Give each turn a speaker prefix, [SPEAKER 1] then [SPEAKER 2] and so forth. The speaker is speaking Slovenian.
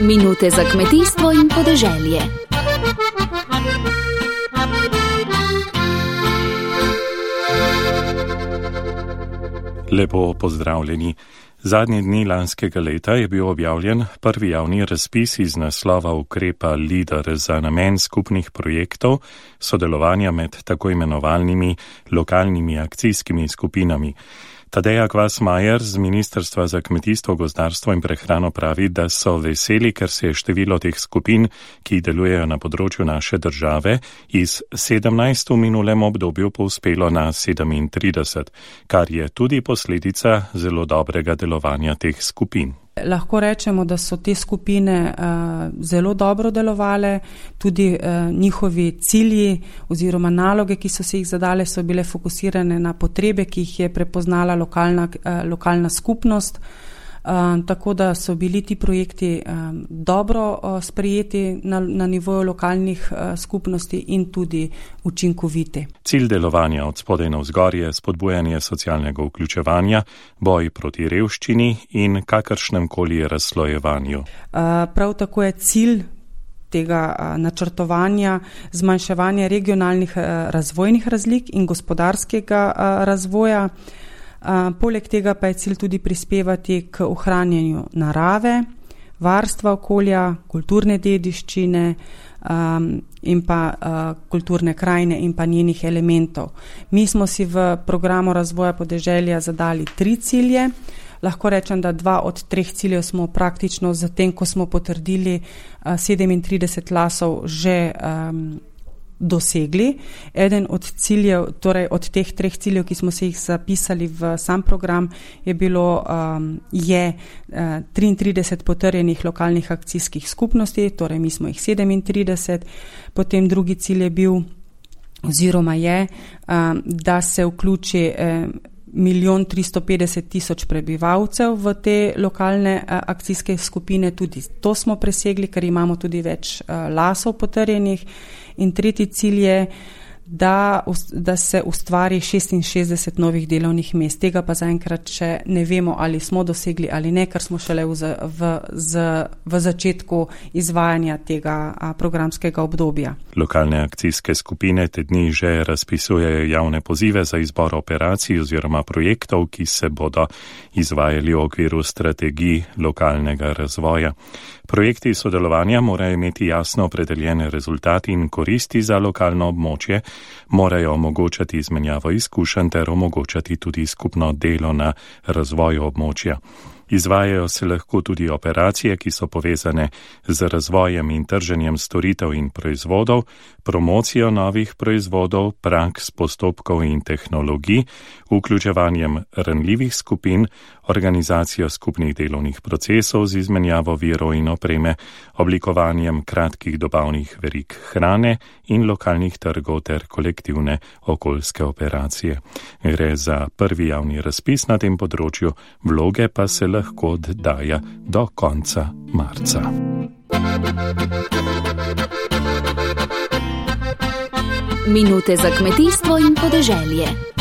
[SPEAKER 1] Minute za kmetijstvo in podeželje.
[SPEAKER 2] Lepo pozdravljeni. Zadnji dni lanskega leta je bil objavljen prvi javni razpis iz naslova ukrepa LEADER za namen skupnih projektov sodelovanja med tako imenovanimi lokalnimi akcijskimi skupinami. Tadeja Kvas-Majer z Ministrstva za kmetijstvo, gozdarstvo in prehrano pravi, da so veseli, ker se je število teh skupin, ki delujejo na področju naše države, iz 17 v minulem obdobju povzpelo na 37, kar je tudi posledica zelo dobrega delovanja teh skupin.
[SPEAKER 3] Lahko rečemo, da so te skupine zelo dobro delovale, tudi njihovi cilji oziroma naloge, ki so se jih zadale, so bile fokusirane na potrebe, ki jih je prepoznala lokalna skupnost. Tako da so bili ti projekti dobro sprejeti na nivoju lokalnih skupnosti in tudi učinkoviti.
[SPEAKER 2] Cilj delovanja od spodaj navzgor je spodbujanje socialnega vključevanja, boj proti revščini in kakršnem koli razslojevanju.
[SPEAKER 3] Prav tako je cilj tega načrtovanja zmanjševanje regionalnih razvojnih razlik in gospodarskega razvoja. Poleg tega pa je cilj tudi prispevati k ohranjanju narave, varstva okolja, kulturne dediščine in pa kulturne krajine in pa njenih elementov. Mi smo si v programu razvoja podeželja zadali 3 cilje. Lahko rečem, da 2 od 3 ciljev smo praktično zatem, ko smo potrdili 37 lasov, že dosegli. Eden od ciljev, torej od teh 3 ciljev, ki smo se jih zapisali v sam program, je 33 potrjenih lokalnih akcijskih skupnosti, torej mi smo jih 37. Potem drugi cilj je bil oziroma je, da se vključi 1.350.000 prebivalcev v te lokalne akcijske skupine. Tudi to smo presegli, ker imamo tudi več lasov potrjenih. In tretji cilj je, da se ustvari 66 novih delovnih mest. Tega pa zaenkrat še ne vemo, ali smo dosegli ali ne, ker smo šele v začetku izvajanja tega programskega obdobja.
[SPEAKER 2] Lokalne akcijske skupine te dni že razpisujejo javne pozive za izbor operacij oziroma projektov, ki se bodo izvajali v okviru strategij lokalnega razvoja. Projekti sodelovanja morajo imeti jasno opredeljene rezultati in koristi za lokalno območje, morajo omogočati izmenjavo izkušenj ter omogočati tudi skupno delo na razvoju območja. Izvajajo se lahko tudi operacije, ki so povezane z razvojem in trženjem storitev in proizvodov, promocijo novih proizvodov, praks, postopkov in tehnologij, vključevanjem ranljivih skupin, organizacijo skupnih delovnih procesov z izmenjavo virov in opreme, oblikovanjem kratkih dobavnih verig hrane in lokalnih trgov ter kolektivne okoljske operacije. Gre za prvi javni razpis na tem področju, vloge pa se lahko oddaja do konca marca.
[SPEAKER 1] Minute za kmetijstvo in podeželje.